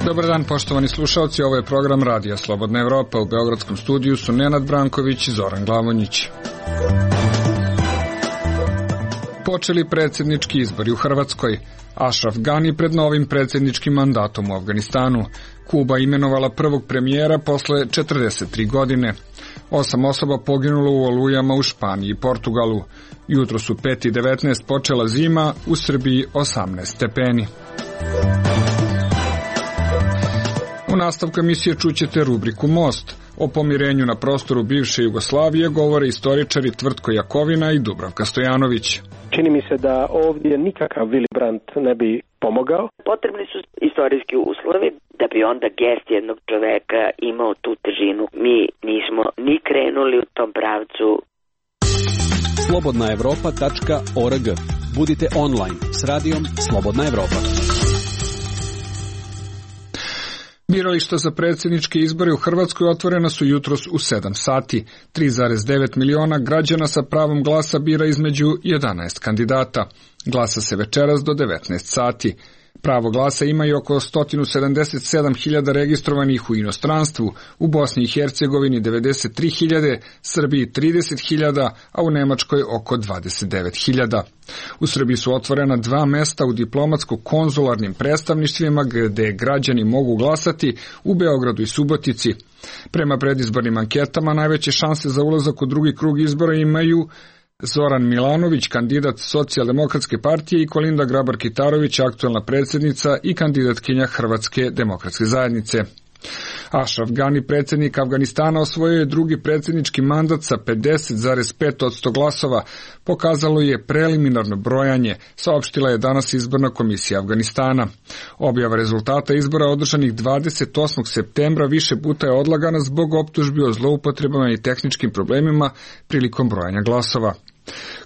Dobar dan, poštovani slušalci, ovo je program Radija Slobodna Evropa. U beogradskom studiju su Nenad Branković i Zoran Glavonjić. Počeli predsjednički izbori u Hrvatskoj. Ashraf Ghani pred novim predsjedničkim mandatom u Afganistanu. Kuba imenovala prvog premijera posle 43 godine. 8 osoba poginulo u olujama u Španiji i Portugalu. Jutro su 5:19 počela zima, u Srbiji 18 stepeni. U nastavku emisije čućete rubriku Most. O pomirenju na prostoru bivše Jugoslavije govore istoričari Tvrtko Jakovina i Dubravka Stojanović. Čini mi se da ovdje nikakav Willy Brandt ne bi pomogao. Potrebni su istorijski uslovi da bi onda gest jednog čoveka imao tu težinu. Mi nismo ni krenuli u tom pravcu. Slobodnaevropa.org. Budite online s radijom Slobodna Evropa. Birališta za predsjedničke izbore u Hrvatskoj otvorena su jutros u 7 sati. 3,9 miliona građana sa pravom glasa bira između 11 kandidata. Glasa se večeras do 19 sati. Pravo glasa imaju oko 177.000 registrovanih u inostranstvu, u Bosni i Hercegovini 93.000, Srbiji 30.000, a u Nemačkoj oko 29.000. U Srbiji su otvorena 2 mesta u diplomatsko-konzularnim predstavništvima gde građani mogu glasati, u Beogradu i Subotici. Prema predizbornim anketama najveće šanse za ulazak u drugi krug izbora imaju Zoran Milanović, kandidat Socijaldemokratske partije, i Kolinda Grabar-Kitarović, aktuelna predsjednica i kandidatkinja Hrvatske demokratske zajednice. Ashraf Ghani, predsjednik Afganistana, osvojio je drugi predsjednički mandat sa 50,5% glasova, pokazalo je preliminarno brojanje, saopštila je danas izborna komisija Afganistana. Objava rezultata izbora održanih 28. septembra više puta je odlagana zbog optužbi o zloupotrebama i tehničkim problemima prilikom brojanja glasova.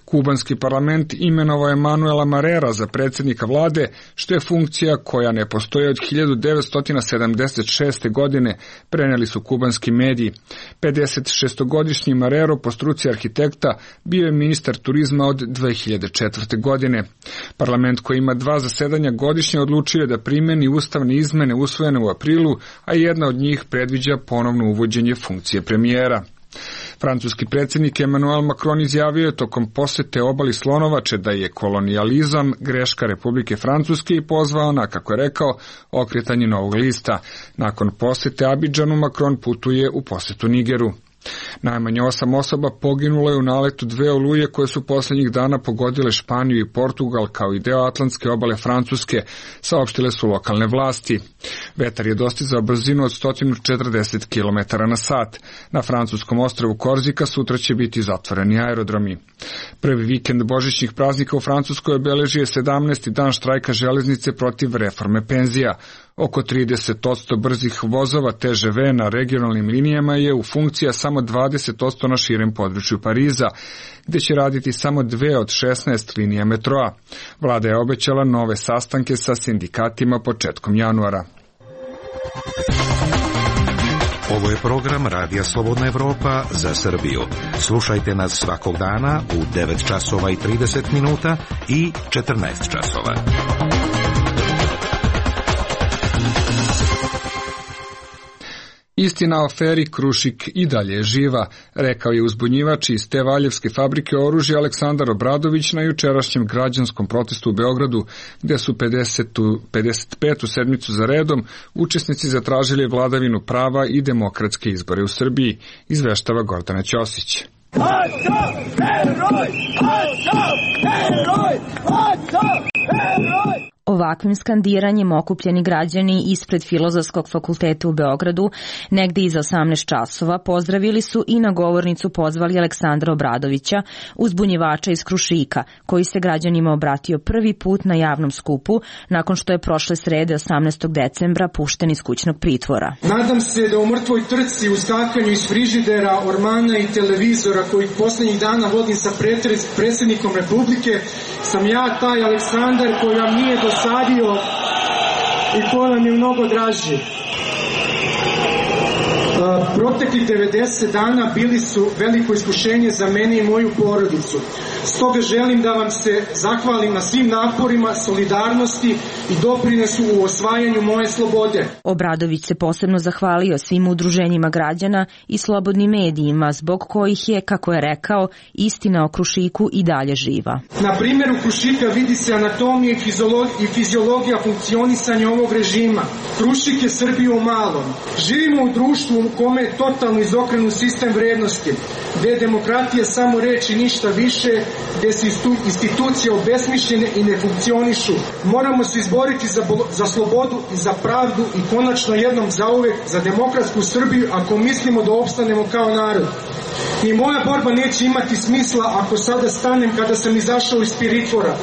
Kubanski parlament imenovao je Manuela Marrera za predsjednika vlade, što je funkcija koja ne postoji od 1976. godine, preneli su kubanski mediji. 56-godišnji Marrero, po struci arhitekta, bio je ministar turizma od 2004. godine. Parlament, koji ima 2 zasedanja godišnje, odlučio je da primeni ustavne izmene usvojene u aprilu, a jedna od njih predviđa ponovno uvođenje funkcije premijera. Francuski predsjednik Emmanuel Macron izjavio je tokom posete obali Slonovače da je kolonijalizam greška Republike Francuske i pozvao na, kako je rekao, okretanje novog lista. Nakon posete Abidžanu Macron putuje u posetu Nigeru. Najmanje 8 osoba poginulo je u naletu 2 oluje koje su posljednjih dana pogodile Španiju i Portugal kao i deo atlantske obale Francuske, saopštile su lokalne vlasti. Vetar je dostizao brzinu od 140 km na sat. Na francuskom ostrvu Korzika sutra će biti zatvoreni aerodromi. Prvi vikend božićnih praznika u Francuskoj obeležio je 17. dan štrajka železnice protiv reforme penzija. Oko 30% brzih vozova TŽV na regionalnim linijama je u funkcija samo 20% na širem području Pariza, gde će raditi samo 2 od 16 linija metroa. Vlada je obećala nove sastanke sa sindikatima početkom januara. Ovo je program Radija Slobodna Evropa za Srbiju. Slušajte nas svakog dana u 9 časova i 30 minuta i 14 časova. Istina o aferi Krušik i dalje je živa, rekao je uzbunjivač iz te valjevske fabrike oružja Aleksandar Obradović na jučerašnjem građanskom protestu u Beogradu, gde su 55. sedmicu za redom učesnici zatražili vladavinu prava i demokratske izbore u Srbiji, izveštava Gordana Ćosić. Ovakvim skandiranjem okupljeni građani ispred Filozofskog fakulteta u Beogradu, negde iza 18 časova, pozdravili su i na govornicu pozvali Aleksandra Obradovića, uzbunjivača iz Krušika, koji se građanima obratio prvi put na javnom skupu, nakon što je prošle srede 18. decembra pušten iz kućnog pritvora. Nadam se da u mrtvoj trci, u skakanju iz frižidera, ormana i televizora, kojih poslednjih dana vodim sa predsjednikom Republike, sam ja taj Aleksandar koji vam nije dosadio i ko nam je mnogo draži. proteklih 90 dana bili su veliko iskušenje za mene i moju porodicu. Stoga želim da vam se zahvalim na svim naporima, solidarnosti i doprinesu u osvajanju moje slobode. Obradović se posebno zahvalio svim udruženjima građana i slobodnim medijima, zbog kojih je, kako je rekao, istina o Krušiku i dalje živa. Na primjeru Krušika vidi se anatomija i fiziologija funkcionisanja ovog režima. Krušik je Srbija u malom. Živimo u društvu u kome je totalno izokrenut sistem vrednosti, gde je demokratija samo reč i ništa više, gde su institucije obesmišljene i ne funkcionišu. Moramo se izboriti za slobodu i za pravdu i konačno jednom zauvek za demokratsku Srbiju ako mislimo da opstanemo kao narod. Ni moja borba neće imati smisla ako sada stanem kada sam izašao iz pritvora.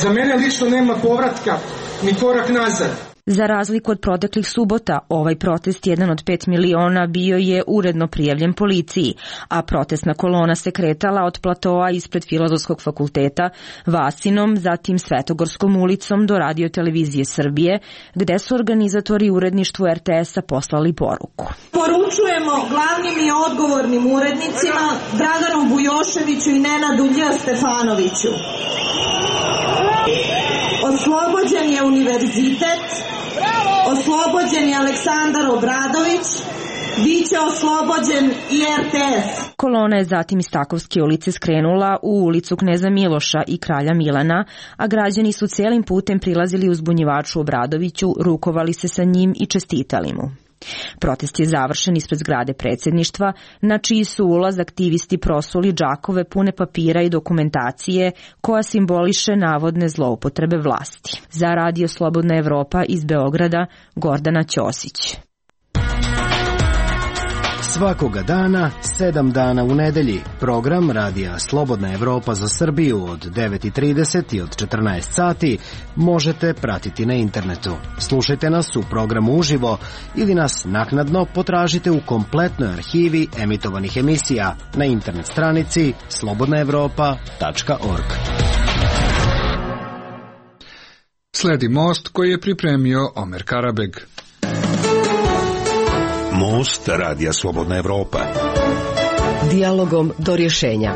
Za mene lično nema povratka ni korak nazad. Za razliku od proteklih subota, ovaj protest, jedan od 5 miliona, bio je uredno prijavljen policiji, a protestna kolona se kretala od platoa ispred Filozofskog fakulteta, Vasinom, zatim Svetogorskom ulicom do Radio-televizije Srbije, gde su organizatori uredništvu RTS-a poslali poruku. Poručujemo glavnim i odgovornim urednicima Draganu Bujoševiću i Nenadu Lj. Stefanoviću. Oslobođen je univerzitet, oslobođen je Aleksandar Obradović, biće oslobođen i RTS. Kolona je zatim iz Takovske ulice skrenula u ulicu Kneza Miloša i Kralja Milana, a građani su celim putem prilazili uzbunjivaču Obradoviću, rukovali se sa njim i čestitali mu. Protest je završen ispred zgrade predsjedništva, na čiji su ulaz aktivisti prosuli džakove pune papira i dokumentacije koja simboliše navodne zloupotrebe vlasti. Za Radio Slobodna Evropa iz Beograda, Gordana Ćosić. Svakoga dana, 7 dana u nedelji, program Radija Slobodna Evropa za Srbiju od 9:30 i od 14 sati možete pratiti na internetu. Slušajte nas u programu uživo ili nas naknadno potražite u kompletnoj arhivi emitovanih emisija na internet stranici slobodnaevropa.org. Sledi most koji je pripremio Omer Karabeg. Most Radija Slobodna Evropa. Dijalogom do rješenja.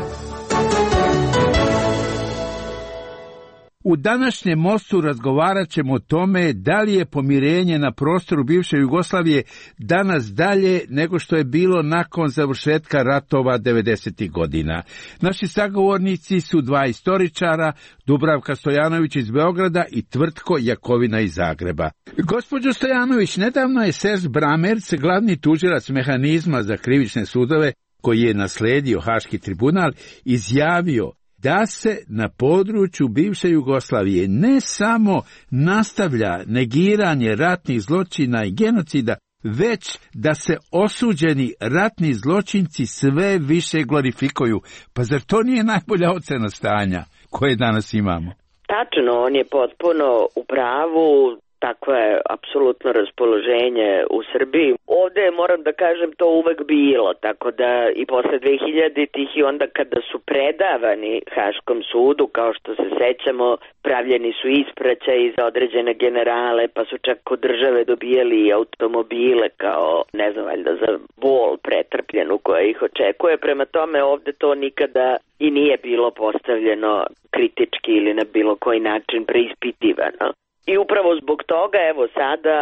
U današnjem mostu razgovarat ćemo o tome da li je pomirenje na prostoru bivše Jugoslavije danas dalje nego što je bilo nakon završetka ratova 90. godina. Naši sagovornici su dva istoričara, Dubravka Stojanović iz Beograda i Tvrtko Jakovina iz Zagreba. Gospođo Stojanović, nedavno je Serž Bramerc, glavni tužilac mehanizma za krivične sudove, koji je nasledio Haški tribunal, izjavio da se na području bivše Jugoslavije ne samo nastavlja negiranje ratnih zločina i genocida, već da se osuđeni ratni zločinci sve više glorifikuju. Pa zar to nije najbolja ocena stanja koje danas imamo? Tačno, on je potpuno u pravu. Takvo je apsolutno raspoloženje u Srbiji. Ovde moram da kažem to uvek bilo, tako da i posle 2000-ih i onda kada su predavani Haškom sudu, kao što se sećamo, pravljeni su ispraćaji za određene generale, pa su čak kod države dobijali automobile kao, ne znam, valjda za bol pretrpljenu koja ih očekuje. Prema tome ovde to nikada i nije bilo postavljeno kritički ili na bilo koji način preispitivano. I upravo zbog toga, evo sada,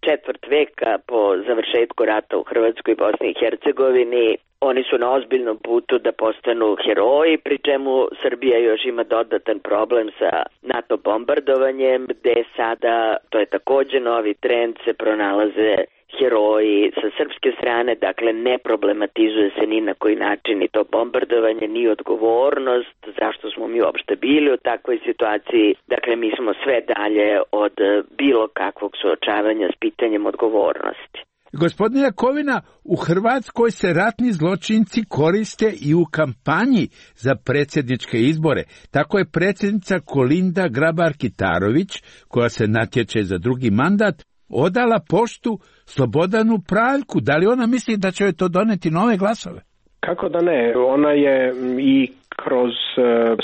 četvrt veka po završetku rata u Hrvatskoj i Bosni i Hercegovini, oni su na ozbiljnom putu da postanu heroji, pri čemu Srbija još ima dodatan problem sa NATO bombardovanjem, gde sada, to je takođe novi trend, se pronalaze heroji sa srpske strane, dakle ne problematizuje se ni na koji način ni to bombardovanje, ni odgovornost, zašto smo mi uopšte bili u takvoj situaciji, dakle mi smo sve dalje od bilo kakvog suočavanja s pitanjem odgovornosti. Gospodine Jakovina, u Hrvatskoj se ratni zločinci koriste i u kampanji za predsjedničke izbore. Tako je predsjednica Kolinda Grabar-Kitarović, koja se natječe za drugi mandat, odala poštu Slobodanu Praljku. Da li ona misli da će joj to doneti nove glasove? Kako da ne? Ona je i kroz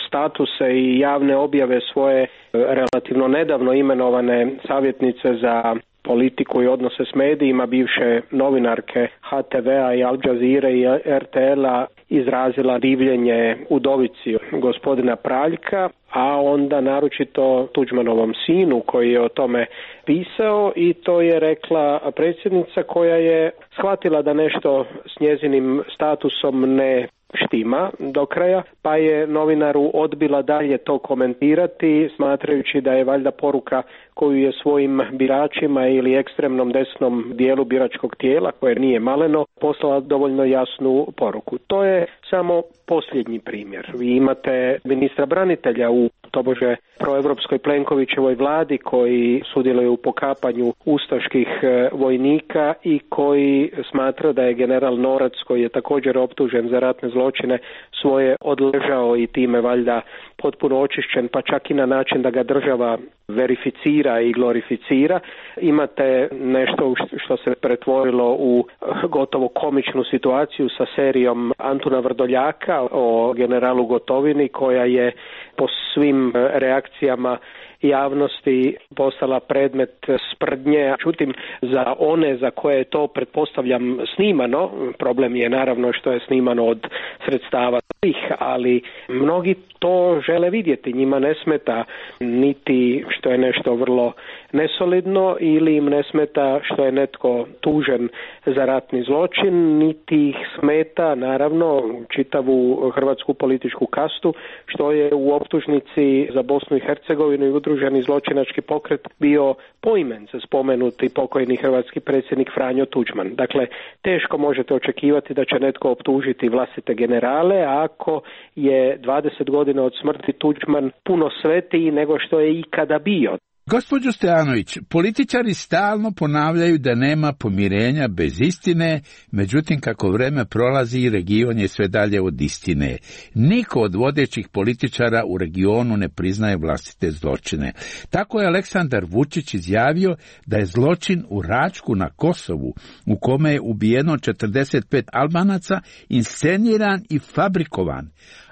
statuse i javne objave svoje relativno nedavno imenovane savjetnice za politiku i odnose s medijima bivše novinarke HTV-a i Al Jazeera i RTL-a izrazila divljenje udovici gospodina Praljka, a onda naročito Tuđmanovom sinu koji je o tome pisao, i to je rekla predsjednica koja je shvatila da nešto s njezinim statusom ne štima do kraja, pa je novinaru odbila dalje to komentirati, smatrajući da je valjda poruka koju je svojim biračima ili ekstremnom desnom dijelu biračkog tijela, koje nije maleno, poslala dovoljno jasnu poruku. To je samo posljednji primjer. Vi imate ministra branitelja u tobože proevropskoj Plenkovićevoj vladi koji sudjeluje u pokapanju ustaških vojnika i koji smatra da je general Norac, koji je također optužen za ratne zločine, svoje odležao i time valjda potpuno očišćen, pa čak i na način da ga država verificira i glorificira. Imate nešto što se pretvorilo u gotovo komičnu situaciju sa serijom Antuna Vrdoljaka o generalu Gotovini, koja je po svim reakcijama javnosti postala predmet sprdnje. Čutim, za one za koje je to, pretpostavljam, snimano, problem je naravno što je snimano od sredstava svih, ali mnogi to žele vidjeti. Njima ne smeta niti što je nešto vrlo nesolidno ili im ne smeta što je netko tužen za ratni zločin, niti ih smeta naravno čitavu hrvatsku političku kastu što je u optužnici za Bosnu i Hercegovinu i udruženi zločinački pokret bio poimence spomenuti pokojni hrvatski predsjednik Franjo Tuđman. Dakle, teško možete očekivati da će netko optužiti vlastite generale ako je 20 godina od smrti Tuđman puno svetiji nego što je ikada bio. Gospođo Stojanović, političari stalno ponavljaju da nema pomirenja bez istine, međutim kako vreme prolazi, region je sve dalje od istine. Niko od vodećih političara u regionu ne priznaje vlastite zločine. Tako je Aleksandar Vučić izjavio da je zločin u Račku na Kosovu, u kome je ubijeno 45 Albanaca, insceniran i fabrikovan.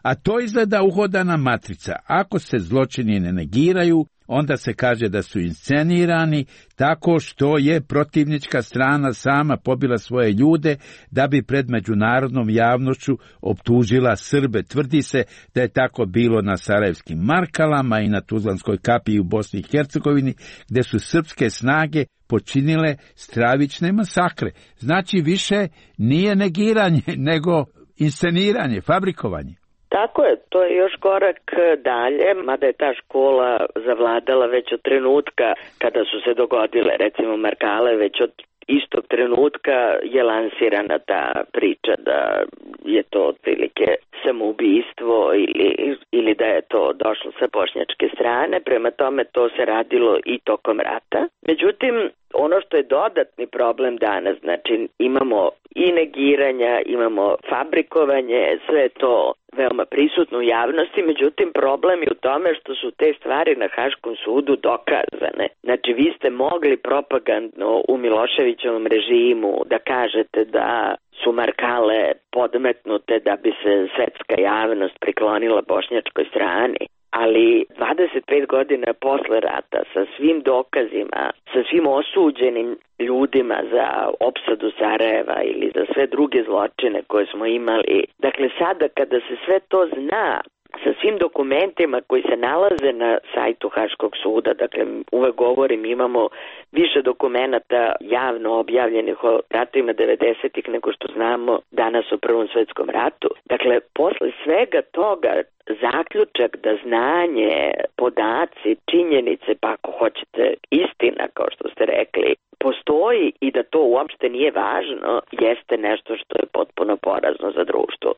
A to izgleda uhodana matrica. Ako se zločini ne negiraju, onda se kaže da su inscenirani tako što je protivnička strana sama pobila svoje ljude da bi pred međunarodnom javnošću optužila Srbe. Tvrdi se da je tako bilo na Sarajevskim Markalama i na Tuzlanskoj kapiji u Bosni i Hercegovini, gde su srpske snage počinile stravične masakre. Znači više nije negiranje, nego insceniranje, fabrikovanje. Tako je, to je još korak dalje, mada je ta škola zavladala već od trenutka kada su se dogodile, recimo Markale, već od istog trenutka je lansirana ta priča da je to otprilike samoubistvo ili da je to došlo sa bošnjačke strane, prema tome to se radilo i tokom rata. Međutim, ono što je dodatni problem danas, znači imamo i negiranja, imamo fabrikovanje, sve to veoma prisutno u javnosti, međutim problem je u tome što su te stvari na Haškom sudu dokazane. Znači vi ste mogli propagandno u Miloševićevom režimu da kažete da su Markale podmetnute da bi se svetska javnost priklonila bošnjačkoj strani. Ali 25 godina posle rata, sa svim dokazima, sa svim osuđenim ljudima za opsadu Sarajeva ili za sve druge zločine koje smo imali, dakle sada kada se sve to zna, sa svim dokumentima koji se nalaze na sajtu Haškog suda, dakle uvek govorim, imamo više dokumenata javno objavljenih o ratovima 90-ih nego što znamo danas o Prvom svetskom ratu. Dakle, posle svega toga zaključak da znanje, podaci, činjenice, pa ako hoćete istina, kao što ste rekli, postoji i da to uopšte nije važno, jeste nešto što je potpuno porazno za društvo.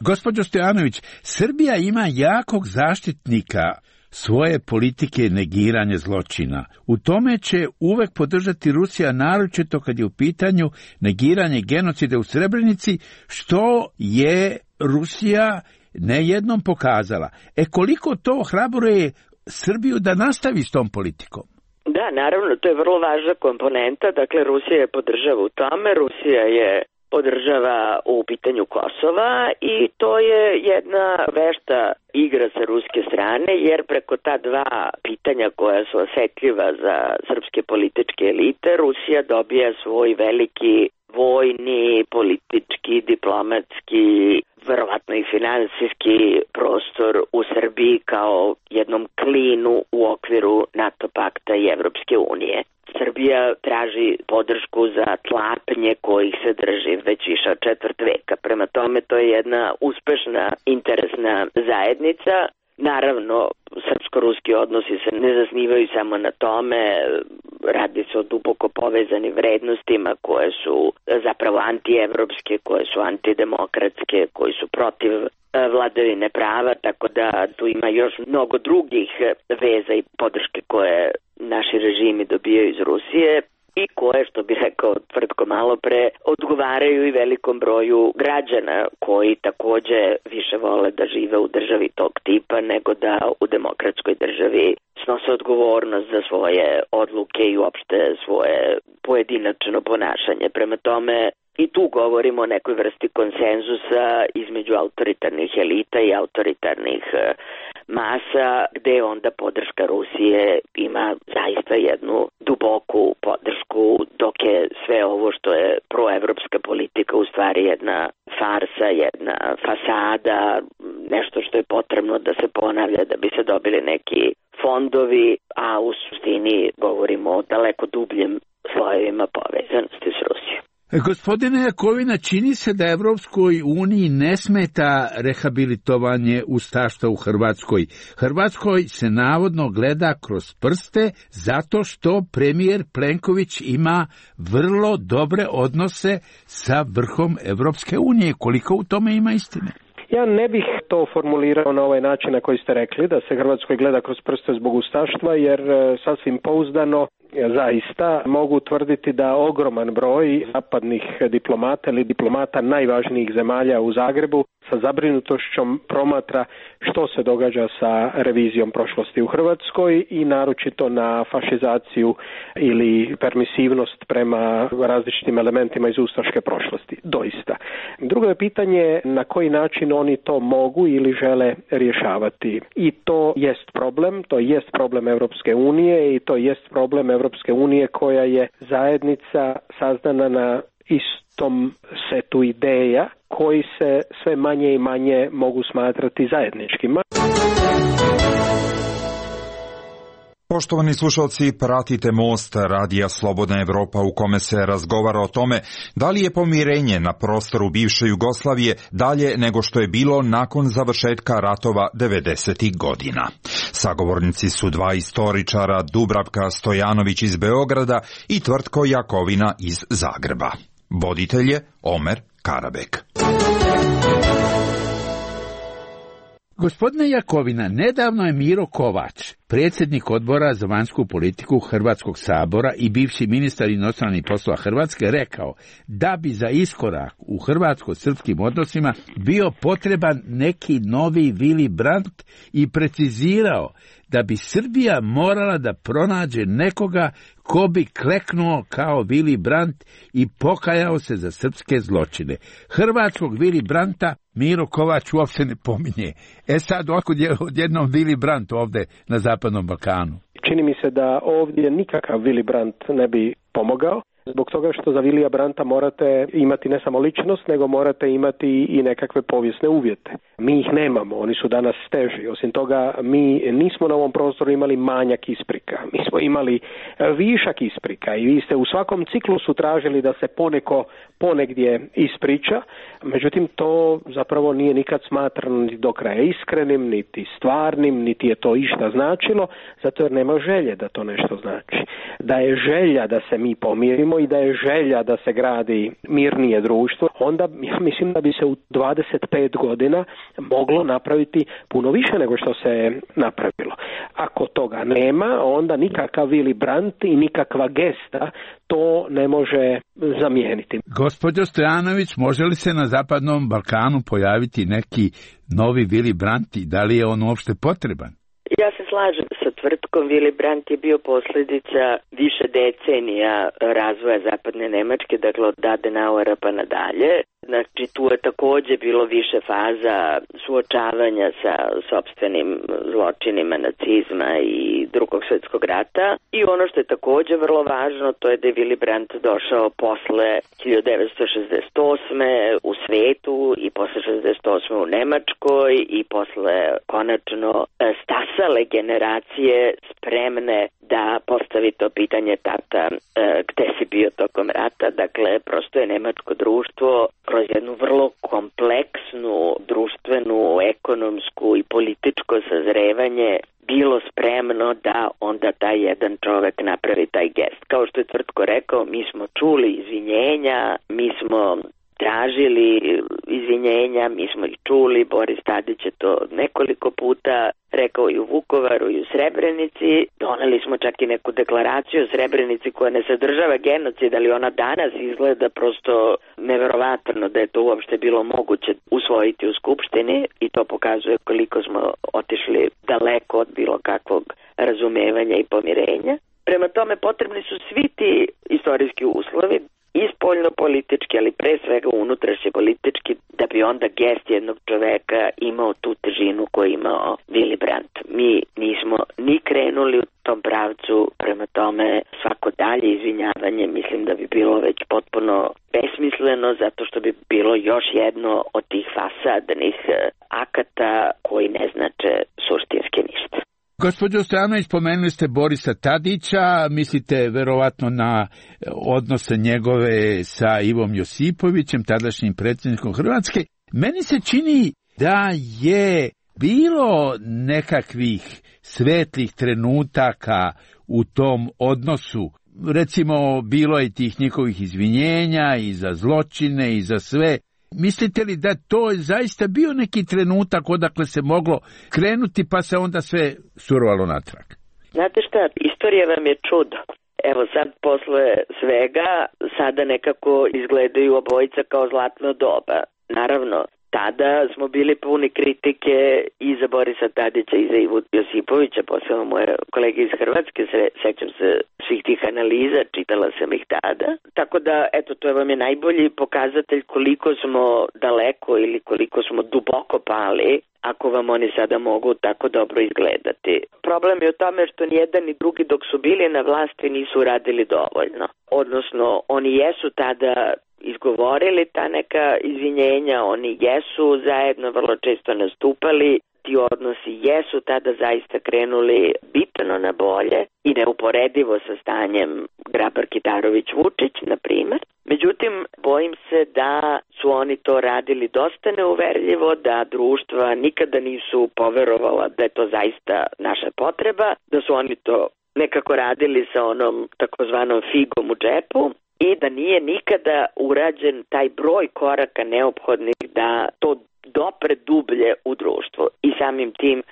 Gospođo Stojanović, Srbija ima jakog zaštitnika svoje politike negiranja zločina. U tome će uvek podržati Rusija, naročito kad je u pitanju negiranje genocida u Srebrenici, što je Rusija nejednom pokazala. Koliko to ohrabruje Srbiju da nastavi s tom politikom? Da, naravno, to je vrlo važna komponenta. Dakle, Rusija je podržava u tome. Rusija je podržava u pitanju Kosova i to je jedna vešta igra sa ruske strane, jer preko ta dva pitanja koja su osetljiva za srpske političke elite, Rusija dobija svoj veliki vojni, politički, diplomatski, verovatno i finansijski prostor u Srbiji kao jednom klinu u okviru NATO pakta i Evropske unije. Srbija traži podršku za tlapnje kojih se drži već više od četvrt veka. Prema tome, to je jedna uspešna interesna zajednica. Naravno, srpsko-ruski odnosi se ne zasnivaju samo na tome, radi se o duboko povezanim vrednostima koje su zapravo antievropske, koje su antidemokratske, koji su protiv vladavine prava, tako da tu ima još mnogo drugih veza i podrške koje naši režimi dobijaju iz Rusije i koje, što bi rekao Tvrtko malo pre, odgovaraju i velikom broju građana koji takođe više vole da žive u državi tog tipa nego da u demokratskoj državi snose odgovornost za svoje odluke i uopšte svoje pojedinačno ponašanje. Prema tome, i tu govorimo o nekoj vrsti konsenzusa između autoritarnih elita i autoritarnih masa, gde onda podrška Rusije ima zaista jednu duboku podršku, dok je sve ovo što je proevropska politika u stvari jedna farsa, jedna fasada, nešto što je potrebno da se ponavlja da bi se dobili neki fondovi, a u suštini govorimo o daleko dubljem slojevima povezanosti s Rusijom. Gospodine Jakovina, čini se da Evropskoj uniji ne smeta rehabilitovanje ustaštva u Hrvatskoj. Hrvatskoj se navodno gleda kroz prste zato što premijer Plenković ima vrlo dobre odnose sa vrhom Evropske unije. Koliko u tome ima istine? Ja ne bih to formulirao na ovaj način na koji ste rekli, da se Hrvatskoj gleda kroz prste zbog ustaštva, jer sasvim pouzdano zaista mogu tvrditi da ogroman broj zapadnih diplomata ili diplomata najvažnijih zemalja u Zagrebu sa zabrinutošćom promatra što se događa sa revizijom prošlosti u Hrvatskoj i naročito na fašizaciju ili permisivnost prema različitim elementima iz ustaške prošlosti. Doista. Drugo je pitanje na koji način oni to mogu ili žele rješavati. I to jest problem Evropske unije i to jest problem Evropske unije koja je zajednica sazdana na istom setu ideja koji se sve manje i manje mogu smatrati zajedničkima. Poštovani slušalci, pratite Most radija Slobodna Evropa u kome se razgovara o tome da li je pomirenje na prostoru bivše Jugoslavije dalje nego što je bilo nakon završetka ratova 90. godina. Sagovornici su dva istoričara, Dubravka Stojanović iz Beograda i Tvrtko Jakovina iz Zagreba. Voditelj je Omer Karabek. Gospodine Jakovina, nedavno je Miro Kovač, predsjednik odbora za vanjsku politiku Hrvatskog sabora i bivši ministar inostranih poslova Hrvatske, rekao da bi za iskorak u hrvatsko-srpskim odnosima bio potreban neki novi Willy Brandt i precizirao da bi Srbija morala da pronađe nekoga ko bi kleknuo kao Willy Brandt i pokajao se za srpske zločine. Hrvatskog Willy Brandta Miro Kovač uopšte ne pominje. Sad ovako odjednom Willy Brandt ovde na Zapadnom Balkanu. Čini mi se da ovdje nikakav Willy Brandt ne bi pomogao. Zbog toga što za Vilija Brandta morate imati ne samo ličnost, nego morate imati i nekakve povijesne uvjete. Mi ih nemamo, oni su danas teži. Osim toga, mi nismo na ovom prostoru imali manjak isprika. Mi smo imali višak isprika i vi ste u svakom ciklusu tražili da se poneko ponegdje ispriča. Međutim, to zapravo nije nikad smatrano niti do kraja iskrenim, niti stvarnim, niti je to išta značilo, zato jer nema želje da to nešto znači. Da je želja da se mi pomirimo i da je želja da se gradi mirnije društvo, onda ja mislim da bi se u 25 godina moglo napraviti puno više nego što se napravilo. Ako toga nema, onda nikakav Willy Brandt i nikakva gesta to ne može zamijeniti. Gospođo Stojanović, može li se na Zapadnom Balkanu pojaviti neki novi Willy Brandt i da li je on uopšte potreban? Ja se slažem sa tvrdkom. Willy Brandt je bio posljedica više decenija razvoja zapadne Nemačke, dakle od Adenauera pa nadalje. Znači tu je takođe bilo više faza suočavanja sa sopstvenim zločinima nacizma i Drugog svjetskog rata. I ono što je takođe vrlo važno, to je da je Willy Brandt došao posle 1968. u svetu i posle 68. u Nemačkoj i posle konačno stasale generacije spremne da postavi to pitanje tata gde si bio tokom rata. Dakle, prosto je nemačko društvo kroz jednu vrlo kompleksnu društvenu, ekonomsku i političko sazrevanje bilo spremno da onda taj jedan čovek napravi taj gest. Kao što je Tvrtko rekao, mi smo čuli izvinjenja, mi smo tražili izvinjenja, mi smo ih čuli, Boris Tadić je to nekoliko puta rekao i u Vukovaru i u Srebrenici. Doneli smo čak i neku deklaraciju o Srebrenici koja ne sadržava genocid, ali ona danas izgleda prosto neverovatno da je to uopšte bilo moguće usvojiti u Skupštini i to pokazuje koliko smo otišli daleko od bilo kakvog razumevanja i pomirenja. Prema tome potrebni su svi ti istorijski uslovi i spoljno-politički, ali pre svega unutrašnje politički, da bi onda gest jednog čoveka imao tu težinu koju imao Willy Brandt. Mi nismo ni krenuli u tom pravcu, prema tome svako dalje izvinjavanje mislim da bi bilo već potpuno besmisleno, zato što bi bilo još jedno od tih fasadnih akata koji ne znače suštinski ništa. Gospođo Stojanović, spomenuli ste Borisa Tadića, mislite verovatno na odnose njegove sa Ivom Josipovićem, tadašnjim predsjednikom Hrvatske. Meni se čini da je bilo nekakvih svetlih trenutaka u tom odnosu. Recimo, bilo je tih njihovih izvinjenja i za zločine i za sve. Mislite li da to je zaista bio neki trenutak odakle se moglo krenuti pa se onda sve surovalo natrag? Znate šta, istorija vam je čudo. Evo sad posle svega sada nekako izgledaju obojica kao zlatno doba. Naravno, tada smo bili puni kritike i za Borisa Tadića i za Ivu Josipovića, posebno moje kolege iz Hrvatske, sećam se svih tih analiza, čitala sam ih tada. Tako da, eto, to vam je najbolji pokazatelj koliko smo daleko ili koliko smo duboko pali, ako vam oni sada mogu tako dobro izgledati. Problem je u tome što ni jedan ni drugi dok su bili na vlasti nisu radili dovoljno. Odnosno, oni jesu tada izgovorili ta neka izvinjenja, oni jesu zajedno vrlo često nastupali, ti odnosi jesu tada zaista krenuli bitno na bolje i neuporedivo sa stanjem Grabar-Kitarović-Vučić, na primer. Međutim, bojim se da su oni to radili dosta neuverljivo, da društva nikada nisu poverovala da je to zaista naša potreba, da su oni to nekako radili sa onom takozvanom figom u džepu i da nije nikada urađen taj broj koraka neophodnih da to dopre dublje u društvo. I samim tim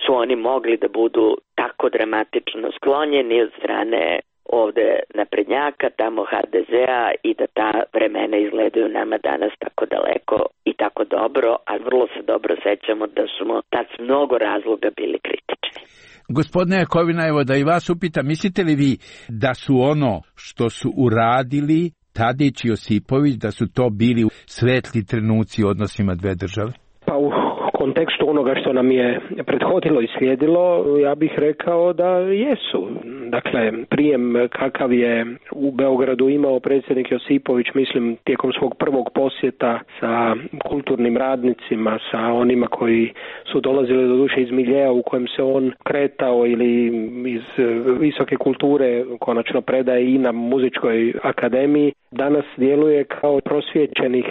su oni mogli da budu tako dramatično sklonjeni od strane ovde naprednjaka, tamo HDZ-a i da ta vremena izgledaju nama danas tako daleko i tako dobro, a vrlo se dobro sećamo da smo tad s mnogo razloga bili kritični. Gospodine Jakovina, evo da i vas upitam, mislite li vi da su ono što su uradili Tadić i Josipović, da su to bili svetli trenuci u odnosima dve države? Pa u kontekstu onoga što nam je prethodilo i slijedilo, ja bih rekao da jesu. Dakle, prijem kakav je u Beogradu imao predsjednik Josipović, mislim, tijekom svog prvog posjeta sa kulturnim radnicima, sa onima koji su dolazili do duše iz miljeja u kojem se on kretao ili iz visoke kulture, konačno predaje i na muzičkoj akademiji, danas djeluje kao prosvjećenih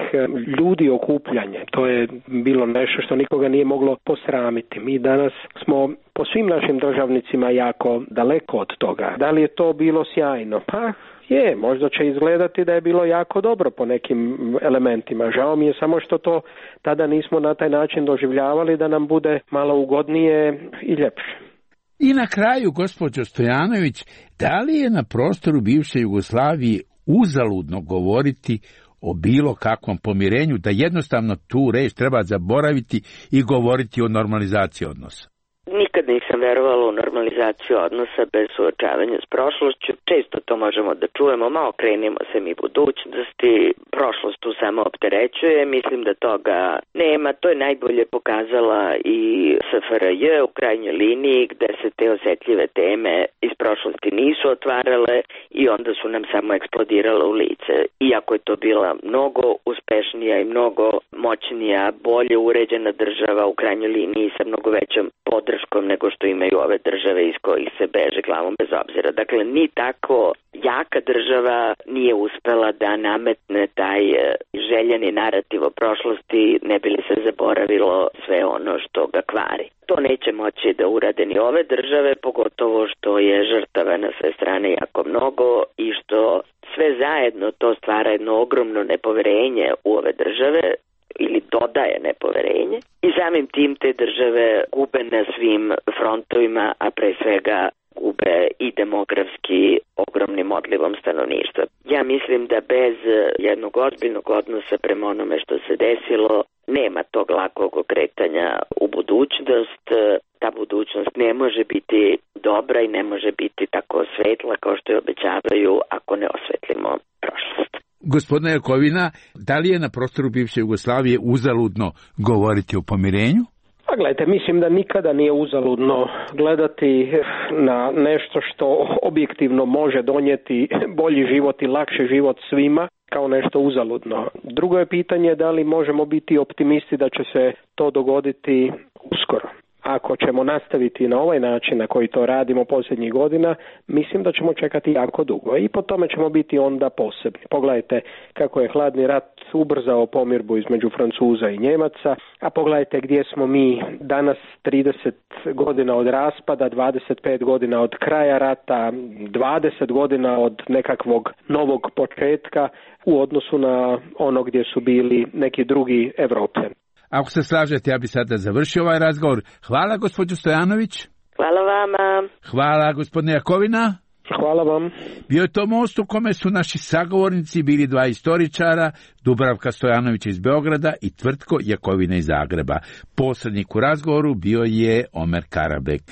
ljudi okupljanje. To je bilo nešto što nikoga nije moglo posramiti. Mi danas smo po svim našim državnicima jako daleko od toga. Da li je to bilo sjajno? Pa je, možda će izgledati da je bilo jako dobro po nekim elementima. Žao mi je samo što to tada nismo na taj način doživljavali da nam bude malo ugodnije i ljepše. I na kraju, gospođo Stojanović, da li je na prostoru bivše Jugoslavije uzaludno govoriti o bilo kakvom pomirenju, da jednostavno tu reč treba zaboraviti i govoriti o normalizaciji odnosa? Nikad nisam verovala u normalizaciju odnosa bez suočavanja s prošlošću. Često to možemo da čujemo, ma okrenimo se mi budućnosti, prošlost tu samo opterećuje, mislim da toga nema. To je najbolje pokazala i SFRJ u krajnjoj liniji, gde se te osetljive teme iz prošlosti nisu otvarale i onda su nam samo eksplodirale u lice. Iako je to bila mnogo uspešnija i mnogo moćnija, bolje uređena država u krajnjoj liniji sa mnogo većom podrškom nego što imaju ove države iz kojih se beže glavom bez obzira. Dakle, ni tako jaka država nije uspela da nametne taj željeni narativ o prošlosti, ne bi li se zaboravilo sve ono što ga kvari. To neće moći da urade ni ove države, pogotovo što je žrtava na sve strane jako mnogo i što sve zajedno to stvara jedno ogromno nepoverenje u ove države, ili dodaje nepoverenje i samim tim te države gube na svim frontovima, a pre svega gube i demografski ogromnim odlivom stanovništva. Ja mislim da bez jednog ozbiljnog odnosa prema onome što se desilo nema tog lakog okretanja u budućnost. Ta budućnost ne može biti dobra i ne može biti tako svetla kao što je obećavaju ako ne osvetlimo prošlost. Gospodine Jakovina, da li je na prostoru bivše Jugoslavije uzaludno govoriti o pomirenju? Pa gledajte, mislim da nikada nije uzaludno gledati na nešto što objektivno može donijeti bolji život i lakši život svima kao nešto uzaludno. Drugo je pitanje da li možemo biti optimisti da će se to dogoditi uskoro. Ako ćemo nastaviti na ovaj način na koji to radimo posljednjih godina, mislim da ćemo čekati jako dugo i po tome ćemo biti onda posebni. Pogledajte kako je hladni rat ubrzao pomirbu između Francuza i Njemaca, a pogledajte gdje smo mi danas 30 godina od raspada, 25 godina od kraja rata, 20 godina od nekakvog novog početka u odnosu na ono gdje su bili neki drugi Evropljani. Ako se slažete, ja bi sada završio ovaj razgovor. Hvala, gospođo Stojanović. Hvala vama. Hvala, gospodine Jakovina. Hvala vam. Bio je to most u kome su naši sagovornici bili dva istoričara, Dubravka Stojanović iz Beograda i Tvrtko Jakovina iz Zagreba. Posrednik u razgovoru bio je Omer Karabek.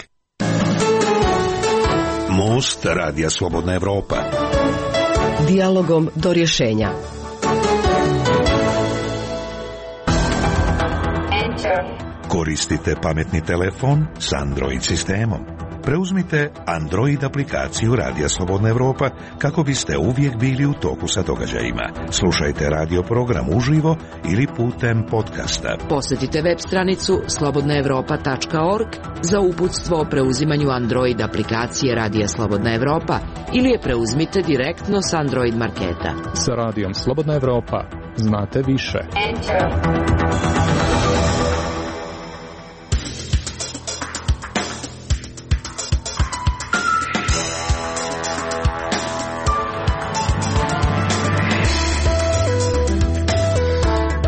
Most Radija Slobodna Evropa. Dijalogom do rješenja. Koristite pametni telefon s Android sistemom. Preuzmite Android aplikaciju Radija Slobodna Evropa kako biste uvijek bili u toku sa događajima. Slušajte radio program uživo ili putem podcasta. Posjetite web stranicu slobodnaevropa.org za uputstvo o preuzimanju Android aplikacije Radija Slobodna Evropa ili je preuzmite direktno s Android marketa. Sa Radijom Slobodna Evropa znate više.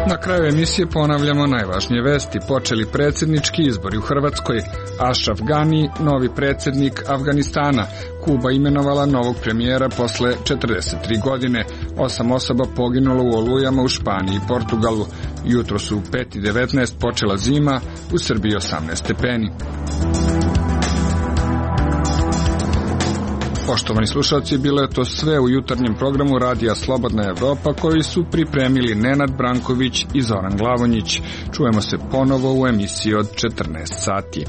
Na kraju emisije ponavljamo najvažnije vesti. Počeli predsjednički izbori u Hrvatskoj. Ashraf Ghani, novi predsjednik Afganistana. Kuba imenovala novog premijera posle 43 godine. 8 osoba poginulo u olujama u Španiji i Portugalu. Jutro su u 5:19 počela zima, u Srbiji 18 stepeni. Poštovani slušalci, bilo je to sve u jutarnjem programu Radija Slobodna Evropa koji su pripremili Nenad Branković i Zoran Glavonjić. Čujemo se ponovo u emisiji od 14 sati.